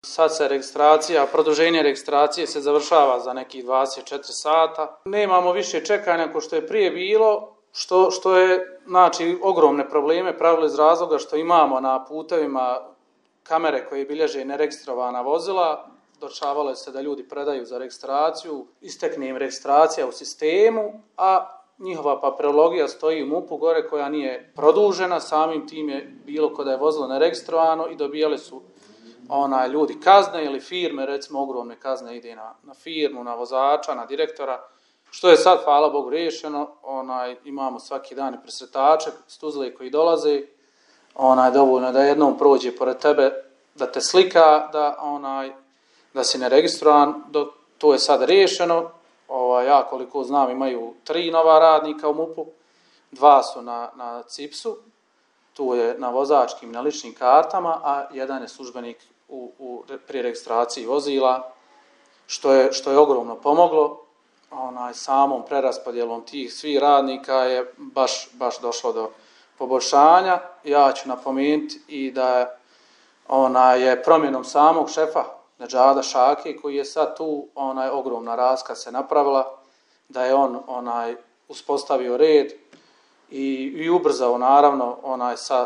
Sad se produženje registracije se završava za nekih 24 sata. Nemamo više čekanja kao što je prije bilo, što je, znači, ogromne probleme pravilo iz razloga što imamo na putevima kamere koje bilježe neregistrovana vozila. Dešavalo se da ljudi predaju za registraciju, istekne im registracija u sistemu, a njihova papirologija stoji u MUP-u gore koja nije produžena, samim tim je bilo kada je vozilo neregistrovano i dobijali su ljudi kazne ili firme, recimo ogromne kazne ide na firmu, na vozača, na direktora, što je sad, hvala Bogu, riješeno. Imamo svaki dan i presretače s Tuzle koji dolaze, dovoljno da jednom prođe pored tebe, da te slika, da si neregistrovan, to je sad riješeno. Ja koliko znam imaju 3 nova radnika u MUP-u, 2 su na CIPS-u, tu je na vozačkim, na ličnim kartama, a 1 je službenik pri registraciji vozila, što je ogromno pomoglo. Samom preraspodjelom tih svih radnika je baš došlo do poboljšanja. Ja ću napomenuti i da je promjenom samog šefa Nedžada Šake, koji je sad tu, ogromna razlika se napravila, da je on uspostavio red i ubrzao naravno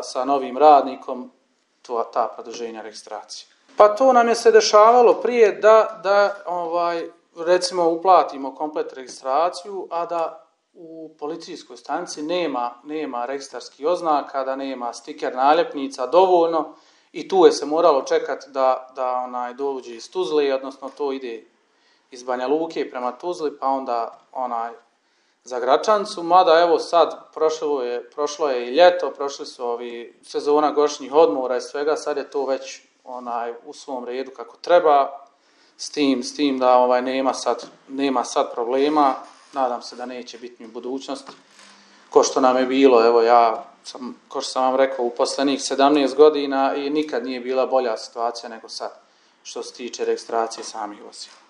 sa novim radnikom ta produženja registracije. Pa to nam je se dešavalo prije da recimo uplatimo komplet registraciju, a da u policijskoj stanici nema registarskih oznaka, da nema stiker naljepnica dovoljno i tu je se moralo čekati da dođe iz Tuzle, odnosno to ide iz Banja Luke prema Tuzli, pa onda za Gračancu, mada evo sad prošlo je i ljeto, prošli su sezona godišnjih odmora i svega, sad je to već u svom redu kako treba, s tim da nema sad problema, nadam se da neće biti u budućnosti, ko što nam je bilo, evo ko što sam vam rekao, u posljednjih 17 godina i nikad nije bila bolja situacija nego sad, što se tiče registracije samih vozila.